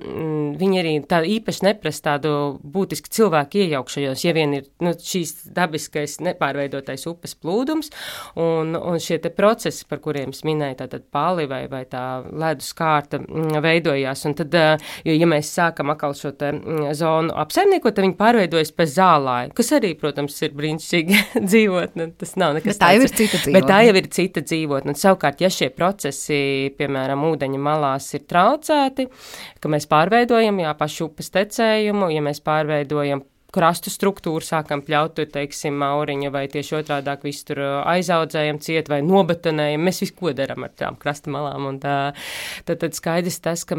viņi arī tā īpaši neprasa tādu būtisku cilvēku iejaukšajos, ja vien ir šīs dabiskais nepārveidotais upes plūdums, un šie te procesi, par kuriem es minēju, tātad pali vai tā ledus kārta veidojās, un tad, ja mēs sākam atkal šo te zonu apsaimniekot, tad viņi pārveidojas pēc zālāju, kas arī, protams, ir brīnišķīgi dzīvotne, tas nav nekas tāds. Bet tā jau ir cita dzīvotne. Bet tā jau ir cita dzīvotne, un savukārt, ja šie procesi, piemēram, ūdeņa malās ir traucēti, ka mēs pārveidojam, pašu upes tecējumu, ja mēs pārveidojam krastu struktūru, sākam pļaut, teiksim, mauriņu, vai tieši otrādāk visu tur aizaudzējam ciet, vai nobetonējam, mēs visu ko daram ar tām krasta malām, un tad skaidrs tas, ka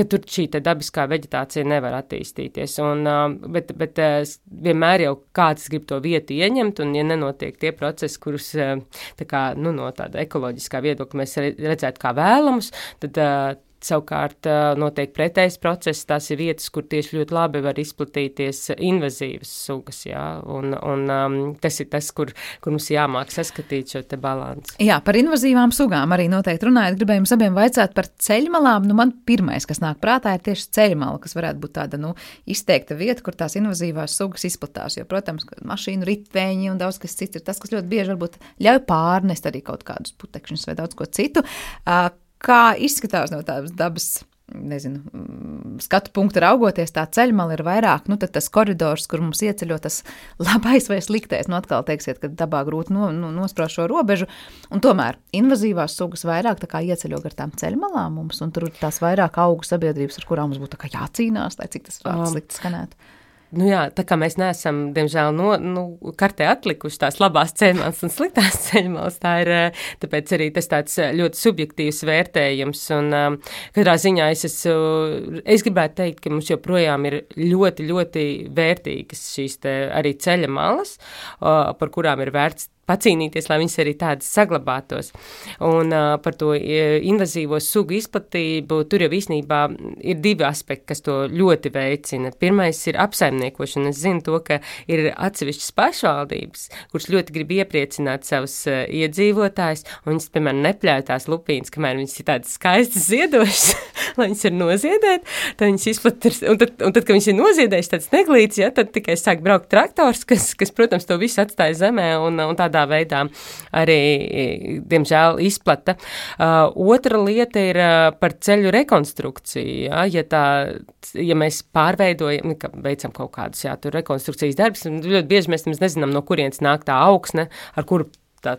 tur šī te dabiskā veģetācija nevar attīstīties, bet vienmēr jau kāds grib to vietu ieņemt, un ja nenotiek tie procesi, kurus no tāda ekoloģiskā viedokļa mēs redzētu kā vēlamus, tad savukārt notiek pretējs process, tās ir vietas, kur tieši ļoti labi var izplatīties invazīvas sugas, jā, un tas ir tas, kur mums jāmāk saskatīt šo te balansu. Jā, par invazīvām sugām arī noteikti runājot, gribēju jums abiem vaicāt par ceļmalām, man pirmais, kas nāk prātā, ir tieši ceļmala, kas varētu būt tāda, izteikta vieta, kur tās invazīvās sugas izplatās, jo, protams, mašīnu ritveņi un daudz kas cits ir tas, kas ļoti bieži varbūt ļauj pārnest arī kaut kādus putekšņus vai daudz ko citu. Kā izskatās no tādas dabas, skatu punktu raugoties, tā ceļmala ir vairāk, tad tas koridors, kur mums ieceļo tas labais vai sliktais, atkal teiksiet, ka dabā grūti nospraust šo robežu, un tomēr invazīvās sugas vairāk tā kā ieceļo gar tām ceļmalām mums, un tur tās vairāk augu sabiedrības, ar kurām mums būtu tā kā jācīnās, lai cik tas vārds slikti skanētu. Jā, tā kā mēs neesam, diemžēl, kartē atlikuši tās labās ceļmalas un sliktās ceļmalas, tāpēc arī tas tāds ļoti subjektīvs vērtējums, un katrā ziņā es gribētu teikt, ka mums joprojām ir ļoti, ļoti vērtīgas šīs te arī ceļa malas, par kurām ir vērts pacīnīties, lai viņas arī tādas saglabātos. Un par to invazīvo sugu izplatību, tur jau īstenībā ir divi aspekti, kas to ļoti veicina. Pirmais ir apsaimniekošana. Es zinu to, ka ir atsevišķas pašvaldības, kuras ļoti grib iepriecināt savus iedzīvotājus, un viņas, piemēram, nepļauj tās lupīnas, kamēr viņas ir tādas skaistas ziedošas, lai viņas ir noziedēt, tad viņas izplatās, un tad, kad viņas ir noziedējuši tāds neglīts, ja, tad tikai sāk braukt traktors, kas, protams, to visu atstāja zemē, un tādā veidā arī, diemžēl, izplata. Otra lieta ir par ceļu rekonstrukciju. Ja mēs pārveidojam, veicam kaut kādus tur rekonstrukcijas darbus, ļoti bieži mēs nezinām, no kurienes nāk tā augsne, ar kuru tā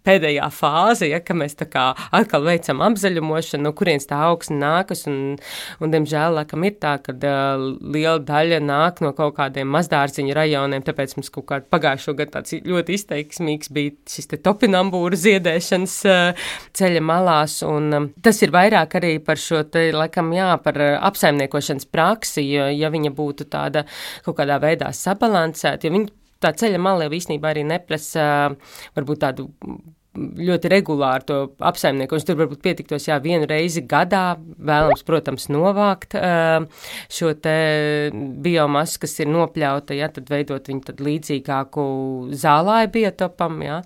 pēdējā fāze, ja, ka mēs tā kā atkal veicam apzaļumošanu, no kurienes tā augsne nākas, un diemžēl, laikam, ir tā, ka liela daļa nāk no kaut kādiem mazdārziņu rajoniem, tāpēc mums kaut kā pagājušo gadu tāds ļoti izteiksmīgs bija šis te topinambūra ziedēšanas ceļa malās, un tas ir vairāk arī par šo te, laikam, jā, par apsaimniekošanas praksi, jo, ja viņa būtu tāda kaut kādā veidā sabalansēta, jo viņa tā ceļa mala jau īstenībā arī neprasa varbūt tādu ļoti regulāri to apsaimniekošanu. Tur varbūt pietiktos, jā, 1 reizi gadā, vēlams, protams, novākt šo te biomasu, kas ir nopļauta, jā, tad veidot viņu tad līdzīgāku zālāju biotopam, jā.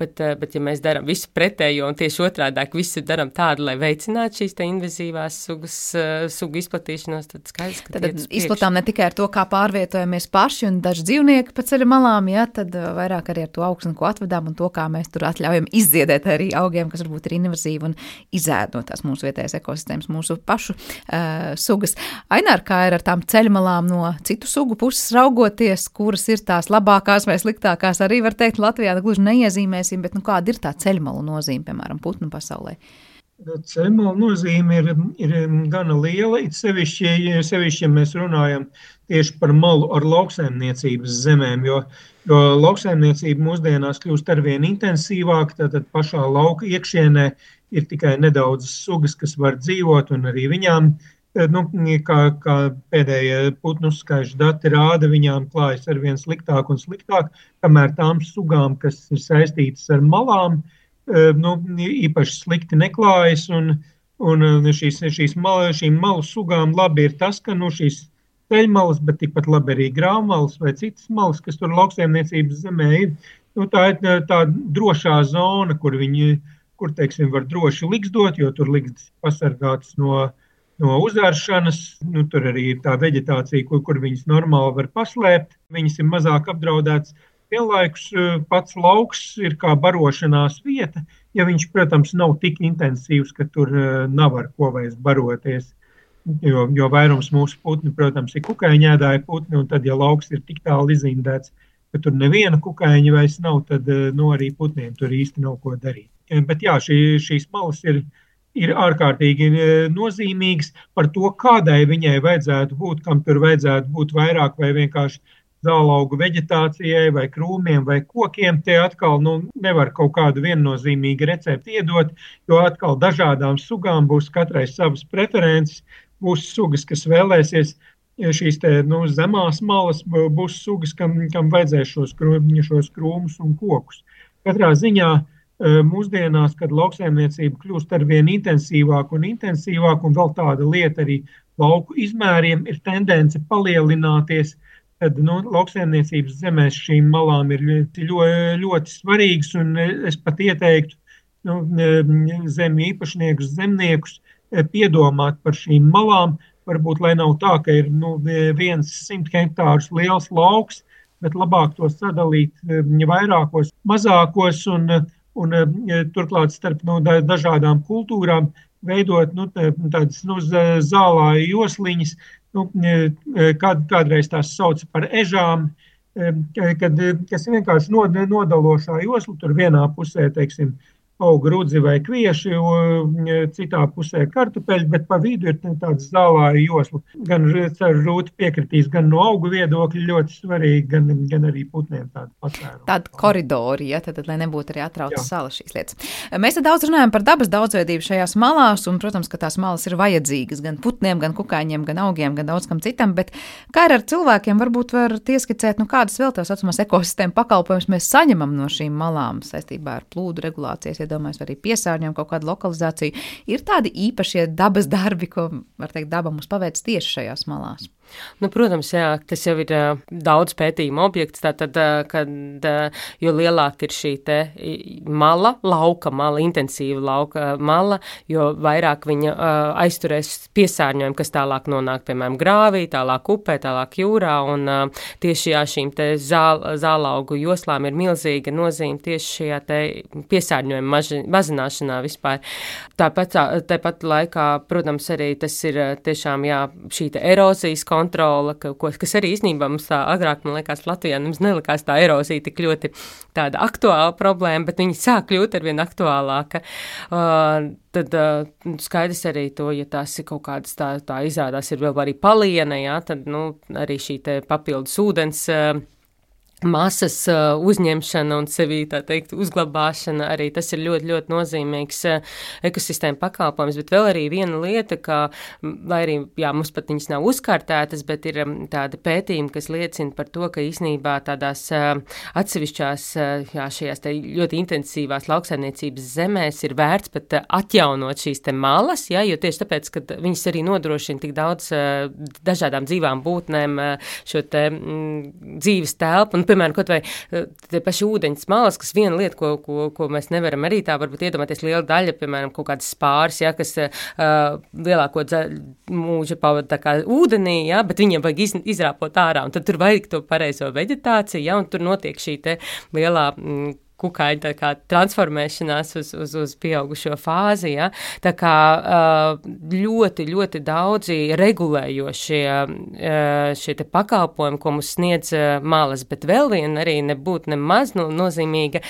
Bet ja mēs darām visu pretējo un tieši otrādāk visu daram tādu, lai veicinātu šīs te invazīvās sugu izplatīšanos, tad skaidrs, ka tad izplatām ne tikai ar to, kā pārvietojamies paši un daži dzīvnieki pa ceļa malām, jā, tad vairāk arī ar to augsni, ko atvedām un to, kā mēs tur atļaujam izdziedēt arī augiem, kas varbūt ir invazīvi un izēd no tās mūsu vietējas ekosistēmas, mūsu pašu sugas. Ainār, kā ir ar tām ceļmalām no citu sugu puses raugoties, kuras ir tās labākās vai sliktākās, arī var teikt Latvijā, gluži neiezīmēsim, bet kāda ir tā ceļmalu nozīme, piemēram, putnu pasaulē? Ceļmalu nozīme ir gana liela, it sevišķi, ja mēs runājam tieši par malu ar lauksaimniecības zemēm, jo lauksaimniecība mūsdienās kļūst arvien intensīvāk, tātad pašā lauka iekšienē ir tikai nedaudz sugas, kas var dzīvot, un arī viņām, kā pēdējie putnu skaišu dati rāda, viņām klājas arvien sliktāk un sliktāk, kamēr tām sugām, kas ir saistītas ar malām, īpaši slikti neklājas, un šīm malu sugām labi ir tas, ka šīs ceļmalas, bet tikpat labi arī grāvmalas vai citas malas, kas tur lauksaimniecības zemē ir. Tā ir tā drošā zona, kur teiksim, var droši liksdot, jo tur liksdas pasargātas no uzāršanas. Tur arī ir tā veģetācija, kur viņas normāli var paslēpt. Viņas ir mazāk apdraudētas. Vienlaikus pats lauks ir kā barošanās vieta, ja viņš, protams, nav tik intensīvs, ka tur nav ar ko vairs baroties. Jo vairums mūsu putni, protams, ir kukaiņēdāji putni, un tad, ja lauks ir tik tālu izindēts, ka tur neviena kukaiņa vairs nav, tad arī putniem tur īsti nav ko darīt. Bet jā, šīs malas ir ārkārtīgi nozīmīgas par to, kādai viņai vajadzētu būt, kam tur vajadzētu būt vairāk vai vienkārši zālaugu veģetācijai vai krūmiem vai kokiem. Tie atkal nevar kaut kādu viennozīmīgu recepti iedot, jo atkal dažādām sugām būs katrai savas preferences. Būs sugas, kas vēlēsies šīs zemās malas, būs sugas, kam vajadzēs šos krūmus un kokus. Katrā ziņā mūsdienās, kad lauksaimniecība kļūst arvien intensīvāk, un vēl tāda lieta arī lauku izmēriem ir tendence palielināties, tad lauksaimniecības zemēs šīm malām ir ļoti svarīgas, un es pat ieteiktu zemju īpašniekus, zemniekus piedomāt par šīm malām, varbūt, lai nav tā, ka ir 100 hektārus liels lauks, bet labāk to sadalīt vairākos, mazākos un turklāt starp dažādām kultūrām veidot tādas zālāju josliņas, kādreiz tās sauca par ežām, kas vienkārši nodalošā josla, tur vienā pusē, teiksim, auga rudzi vai kvieši, citā pusē kartupeļi, bet pa vidu ir tāds zālāja josla. Gan Rūta piekritīs, gan no augu viedokļa ļoti svarīgi, gan arī putniem tādu patvērumu. Tāda koridori, ja, tad, lai nebūtu arī atrautas salas šīs lietas. Mēs daudz runājam par dabas daudzveidību šajās malās, un, protams, ka tās malas ir vajadzīgas gan putniem, gan kukaiņiem, gan augiem, gan daudz kam citam, bet kā ir ar cilvēkiem, varbūt var ieskicēt, kādas vēl tās saucamās ekosistēma pakalpojumus mēs saņemam no šīm malām saistībā ar plūdu regulācijas, iedomājas, vai arī piesārņojumu, kaut kādu lokalizāciju. Ir tādi īpašie dabas darbi, ko, var teikt, daba mums paveic tieši šajās malās? Protams, jā, tas jau ir daudz pētījumu objekts, tātad, jo lielāk ir šī te mala, lauka mala, intensīva lauka mala, jo vairāk viņa aizturēs piesārņojumu, kas tālāk nonāk, piemēram, grāvī, tālāk upē, tālāk jūrā, un tieši šīm te zālaugu joslām ir milzīga nozīme tieši šajā te piesārņojuma mazināšanā vispār. Tāpat laikā, protams, arī tas ir tiešām, šī te erozijas kontrola, kas arī īstenībā mums tā agrāk, man liekas, Latvijā mums nelikās tā erozija tik ļoti tāda aktuāla problēma, bet viņi sāk kļūt arvien aktuālāka. Tad skaidrs arī to, ja tās ir kaut kādas tā izrādās ir vēl arī paliena, jā, tad, arī šī te papildus ūdens masas uzņemšana un sevī, tā teikt, uzglabāšana, arī tas ir ļoti, ļoti nozīmīgs ekosistēma pakalpojums, bet vēl arī viena lieta, ka, lai arī, jā, mums pat viņas nav uzkārtētas, bet ir tāda pētījuma, kas liecina par to, ka īsnībā tādās atsevišķās, jā, šajās te ļoti intensīvās lauksaimniecības zemēs ir vērts pat atjaunot šīs te malas, jā, jo tieši tāpēc, ka viņas arī nodrošina tik daudz dažādām dzīvām būtnēm šo te dzīves telpu, un, piemēram, kaut vai tie paši ūdeņas malas, kas viena lieta, ko mēs nevaram arī tā varbūt iedomāties liela daļa, piemēram, kaut kādas spāris, ja, kas lielāko mūža pavada tā kā ūdenī, ja, bet viņiem vajag izrāpot ārā, un tad tur vajag to pareizo veģetāciju, ja, un tur notiek šī te lielā kukaiņa tā kā transformēšanās uz pieaugušo fāzi, ja? Tā kā ļoti, ļoti daudzi regulējošie šie te pakalpojumi, ko mums sniedz malas, bet vēl viena arī nebūtu nemaz nozīmīga,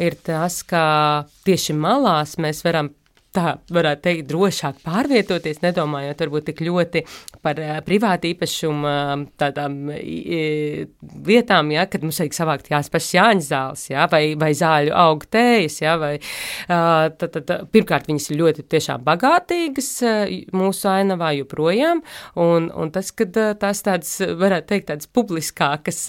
ir tas, ka tieši malās mēs varam tā varētu teikt drošāk pārvietoties, nedomājot varbūt tik ļoti par privātu īpašumu tādām vietām, ja, kad mums vajag savākt pašas Jāņa zāles, ja, vai zāļu augu tējas, ja, vai pirmkārt viņas ir ļoti tiešām bagātīgas mūsu ainavā joprojām, un tas, kad tās tādas, varētu teikt, tādas publiskākas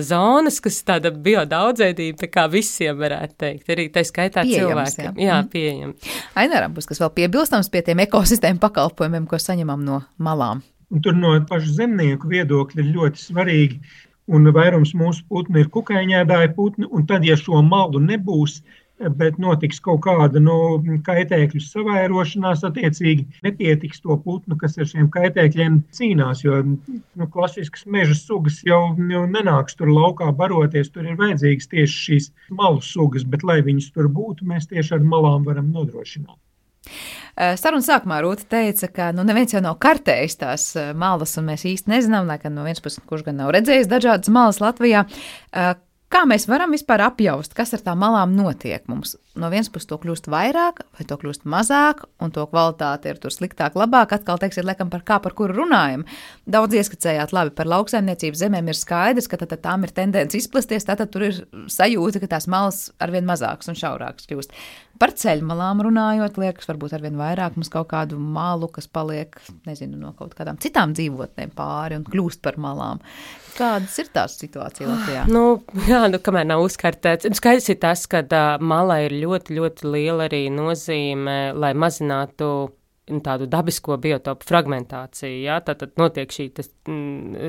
zonas, kas tāda biodaudzveidība, tā kā visiem varētu teikt, arī tā skaitā pieejams, cilvēkiem. Jā, pieejams. Ainara, būs kas vēl piebilstams pie tiem ekosistēmu pakalpojumiem, ko saņemam no malām. Un tur no pašu zemnieku viedokļa ir ļoti svarīgi, un vairums mūsu putni ir kukaiņēdāji putni, un tad, ja šo malu nebūs, bet notiks kaut kāda kaitēkļu savairošanās, attiecīgi nepietiks to putnu, kas ar šiem kaitēkļiem cīnās, jo klasiskas meža sugas jau nenāks tur laukā baroties, tur ir vajadzīgas tieši šīs malu sugas, bet lai viņas tur būtu, mēs tieši ar malām varam nodrošināt. Sarunas sākumā Rūta teica, ka neviens jau nav kartējis tās malas, un mēs īsti nezinām, lai gan no vienas puses, kurš gan nav redzējis dažādas malas Latvijā. Kā mēs varam vispār apjaust, kas ar tām malām notiek mums? No vienas puses to kļūst vairāk, vai to kļūst mazāk, un to kvalitāte ir tur sliktāk, labāk, atkal teiksiet, laikam par kuru runājam. Daudz ieskicējāt labi par lauksaimniecības zemēm ir skaidrs, ka tad tām ir tendence izplasties, tātad tur ir sajūta, ka tās malas arvien mazākas un šaurākas kļūst. Par ceļmalām runājot, liekas, varbūt arvien vairāk mums kaut kādu malu, kas paliek, nezinu, no kaut kādām citām dzīvotnēm pāri un kļūst par malām. Kādas ir tās situācija Latvijā? Jā, kamēr nav uzkartēts. Skaidrs ir tas, ka mala ir ļoti, ļoti liela arī nozīme, lai mazinātu tādu dabisko biotopu fragmentāciju, jā, tātad notiek šī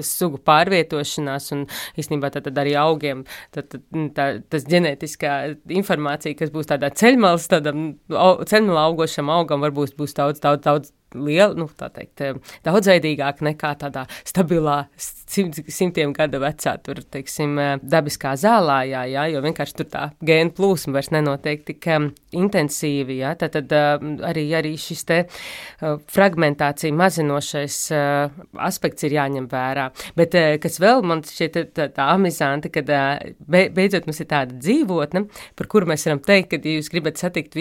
sugu pārvietošanās un īstenībā tātad arī augiem, tas ģenētiskā informācija, kas būs tādā ceļmalas, tādam ceļmalā augošam augam, varbūt būs daudz liela, tā teikt, daudzveidīgāk nekā tādā stabilā simtiem gada vecā, tur, teiksim, dabiskā zālājā, jā, jo vienkārši tur tā gēnu plūsma vairs nenotiek tik intensīvi, jā, tad arī šis te fragmentācija mazinošais aspekts ir jāņem vērā. Bet, kas vēl man šķiet tā amizanti, kad beidzot mums ir tāda dzīvotne, par kuru mēs varam teikt, ka jūs gribat satikt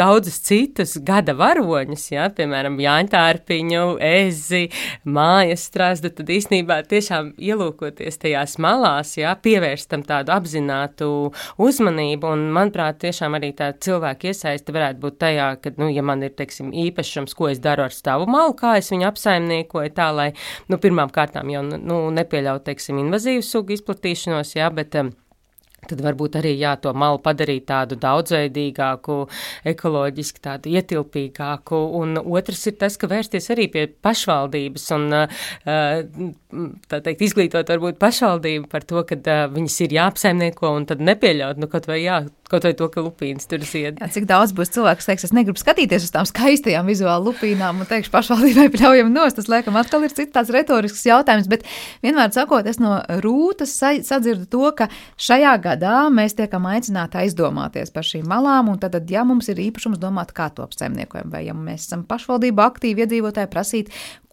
daudzus citus gada varoņus, jā, piemēram, jāņtārpiņu, ezi, mājas strazdu, tad īstenībā tiešām ielūkoties tajās malās, jā, pievērst tam tādu apzinātu uzmanību, un, manuprāt, tiešām arī tā cilvēka iesaiste varētu būt tajā, ka, ja man ir, teiksim, īpašums, ko es daru ar savu malu, kā es viņu apsaimniekoju tā, lai, pirmām kārtām jau, nepieļaut, teiksim, invazīvu sugu izplatīšanos, jā, bet tad varbūt arī, to malu padarīt tādu daudzveidīgāku, ekoloģiski tādu ietilpīgāku, un otrs ir tas, ka vērsties arī pie pašvaldības un, tā teikt, izglītot varbūt pašvaldību par to, ka viņas ir jāapsaimnieko un tad nepieļaut, kaut vai to, ka lupīnas tur zied. Jā, cik daudz būs cilvēks, kas teiks, es negribu skatīties uz tām skaistajām vizuāli lupīnām un teikšu pašvaldībai pļaujam nost, tas laikam atkal ir cits tāds retorisks jautājums, bet vienmēr sakot, es no Rūtas sadzirdu to, ka šajā gadā mēs tiekam aicināti aizdomāties par šīm malām, un tad, ja mums ir īpašums domāt, kā to apsaimniekojam, vai ja mēs esam pašvaldība aktīvi iedzīvotāji prasīt,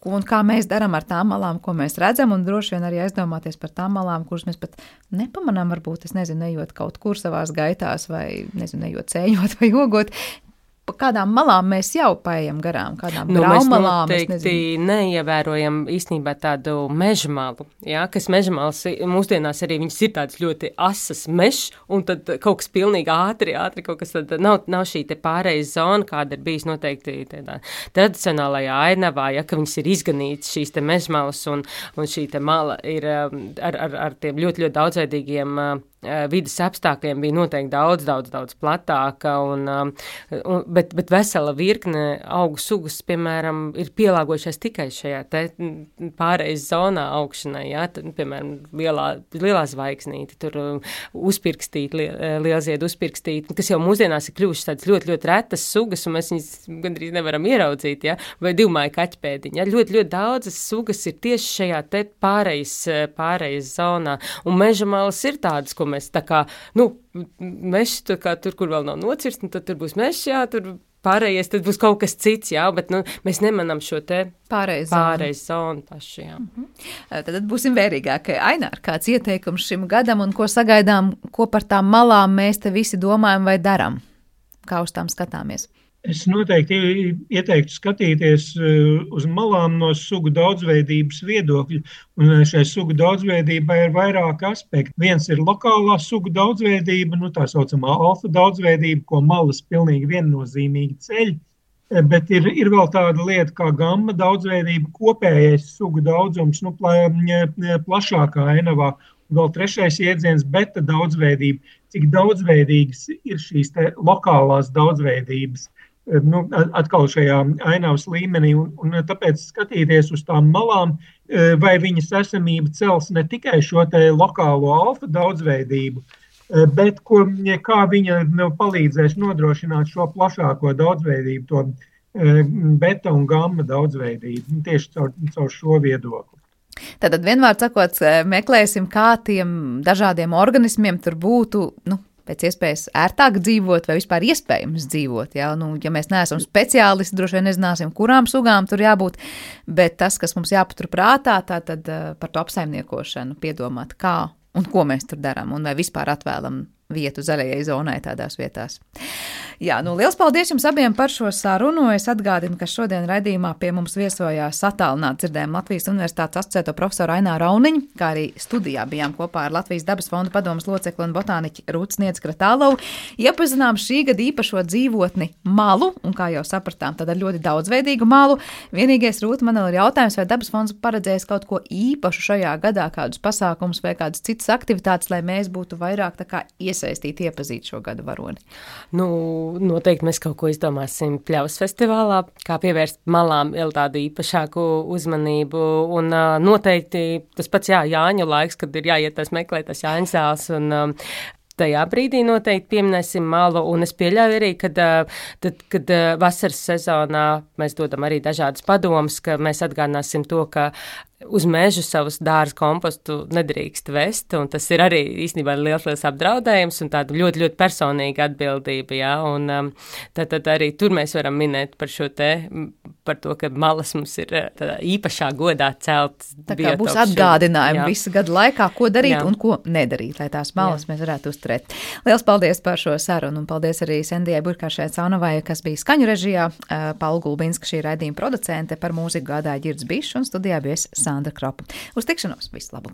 un kā mēs darām ar tām malām, ko mēs redzam, un droši vien arī aizdomāties par tām malām, kuras mēs pat nepamanām, varbūt, es nezinu, ejot kaut kur savās gaitās vai, nezinu, ejot sēņot vai jogot. Pa kādām malām mēs jau paejam garām, kādām graumalām. Mēs noteikti neievērojam īstenībā tādu meža malu, jā, kas meža malas mūsdienās arī viņas ir tādas ļoti asas mežs, un tad kaut kas pilnīgi ātri kaut kas tad nav šī te pārejas zona, kāda ir bijis noteikti tādā tradicionālajā ainavā, ja, ka viņas ir izganītas šīs te meža malas, un šī te mala ir ar tiem ļoti, ļoti daudzveidīgiem vidas apstākļiem bija noteikti daudz platāka, bet vesela virkne augu sugas, piemēram, ir pielāgojušies tikai šajā te pārejas zonā augšanai, jā, tad, piemēram, lielā zvaigznīte, tur uzpirkstīti, lielziedi uzpirkstīti, kas jau mūsdienās ir kļuvušas tādas ļoti, ļoti retas sugas, un mēs viņas gandrīz nevaram ieraudzīt, jā, vai divmāju kaķpēdiņa, jā, ļoti, ļoti daudzas sugas ir tieši šajā te pārejas zonā, un meža malas ir tādas, ko mēs tā kā, mežs, tur, kur vēl nav nocirst, un tad tur būs mežs, jā, tur pārējais, tad būs kaut kas cits, jā, bet, mēs nemanam šo te pārējais zonu paši, jā. Tad būsim vērīgāki. Ainār, kāds ieteikums šim gadam, un ko sagaidām, ko par tām malām mēs te visi domājam vai daram? Kā uz tām skatāmies? Es noteikti ieteiktu skatīties uz malām no sugu daudzveidības viedokļa, un šai sugu daudzveidībai ir vairāki aspekti. Viens ir lokālā sugu daudzveidība, tā saucamā alfa daudzveidība, ko malas pilnīgi viennozīmīgi ceļ, bet ir vēl tāda lieta kā gamma daudzveidība, kopējais sugu daudzums, plašākā ainavā. Vēl trešais jēdziens beta daudzveidība, cik daudzveidīgas ir šīs te lokālās daudzveidības. Atkal šajā ainavas līmenī, un tāpēc skatīties uz tām malām, vai viņas esamība cels ne tikai šo te lokālo alfa daudzveidību, bet kā viņa palīdzēs nodrošināt šo plašāko daudzveidību, to beta un gamma daudzveidību, tieši caur šo viedokli. Tātad vienmēr sakot, meklēsim, kā tiem dažādiem organismiem tur būtu, pēc iespējas ērtāk dzīvot vai vispār iespējams dzīvot. Ja? Ja mēs neesam speciālisti, droši vien nezināsim, kurām sugām tur jābūt, bet tas, kas mums jāpatur prātā, tātad par to apsaimniekošanu piedomāt, kā un ko mēs tur darām, un vai vispār atvēlam vietu zaļajai zonai tādās vietās. Jā, liels paldies jums abiem par šo sarunu. Es atgādinu, ka šodien raidījumā pie mums viesojās attālināti dzirdējām Latvijas Universitātes asociēto profesoru Aināru Rauniņu, kā arī studijā bijām kopā ar Latvijas dabas fonda padomes locekli un botāniķi Rūtu Sniedz-Kratālovu. Iepazinām šī gada īpašo dzīvotni malu, un kā jau sapratām, tad ar ļoti daudzveidīgu malu. Vienīgais, Rūta, man ir jautājums, vai dabas fonds paredzējis kaut ko īpašu šajā gadā, kādus pasākumus vai kādas citas aktivitātes, lai mēs būtu vairāk tā kā iesaistīti, iepazīt šo gadu varoni? Noteikti mēs kaut ko izdomāsim Pļavas festivālā, kā pievērst malām vēl tādu īpašāku uzmanību, un noteikti tas pats Jāņu laiks, kad ir jāiet meklēt tas Jāņu zāles, un tajā brīdī noteikti pieminēsim malu, un es pieļauju arī, kad vasaras sezonā mēs dodam arī dažādas padomas, ka mēs atgādināsim to, ka uz mežu savus dārza kompostu nedrīkst vest, un tas ir arī īstenībā liels apdraudējums un tāda ļoti, ļoti personīga atbildība, jā, un tad arī tur mēs varam minēt par šo par to, ka malas mums ir īpašā godā celt. Tā kā būs atgādinājumi visu gadu laikā, ko darīt un ko nedarīt, lai tās malas mēs varētu uzturēt. Liels paldies par šo sarunu, un paldies arī Sendijai Burkāršai Caunovai, kas bija skaņu režijā, Paula Gulbinska, šī raidījuma producente, par mūziku gādāja Ģirds Bišs, un studijā bija Sandra Kropa. Uz tikšanos, visu labu!